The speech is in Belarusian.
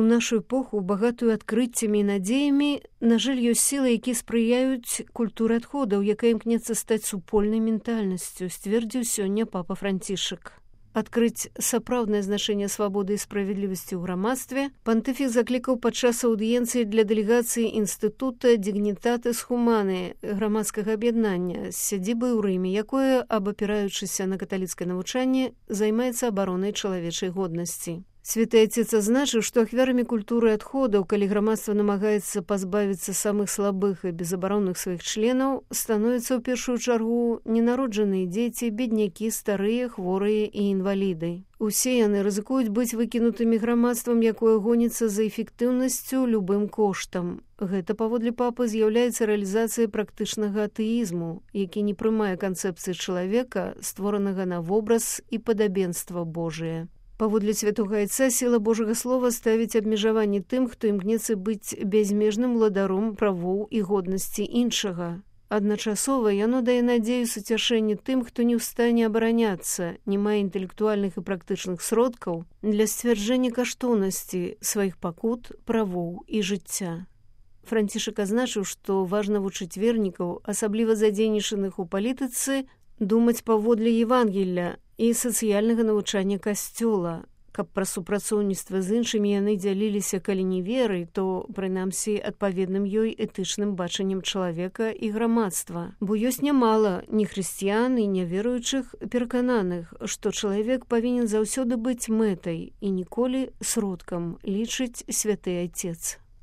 нашу эпоху, багатую адкрыццямі і надзеямі, на жаль, ёсць сілы, якія спрыяюць культуры адходаў, якая імкнецца стаць супольнай ментальнасцю, сцвердзіў сёння папа Францішак. Адкрыць сапраўднае значэнне свабоды і справядлівасці ў грамадстве пантыфік заклікаў падчас аўдыенцыі для дэлегацыі інстытута Дигнитатис Humanae грамадскага аб'яднання з сядзібай у Рыме, якое, абапіраючыся на каталіцкае навучанне, займаецца абаронай чалавечай годнасці. Святы Отец азначыў, што ахвярамі культуры адходаў, калі грамадства намагаецца пазбавіцца самых слабых і безабаронных сваіх членаў, становяцца ў першую чаргу ненароджаныя дзеці, беднякі, старыя, хворыя і інваліды. Усе яны рызыкуюць быць выкінутымі грамадствам, якое гоніцца за эфектыўнасцю любым коштам. Гэта, паводле папы, з'яўляецца рэалізацыяй практычнага атэізму, які не прымае канцэпцыі чалавека, створанага на вобраз і падабенства Божие. Паводле святога Айца, сіла Божага Слова ставіць абмежаванні тым, хто імкнецца быць бязмежным уладаром правоў і годнасці іншага. Адначасова яно дае надзею суцяшэння тым, хто не ў стане абараняцца, не мае інтэлектуальных і практычных сродкаў для сцвярджэння каштоўнасці сваіх пакут, правоў і жыцця. Францішак азначыў, што важна вучыць вернікаў, асабліва задзейнічаных у палітыцы, думаць паводле Евангелля і сацыяльнага навучання Касцёла, каб пра супрацоўніцтва з іншымі яны дзяліліся, калі не верай, то, прынамсі, адпаведным ёй этычным бачаннем чалавека і грамадства. Бо ёсць нямала нехрысціян і няверуючых перакананых, што чалавек павінен заўсёды быць мэтай і ніколі сродкам, лічыць святы Отец.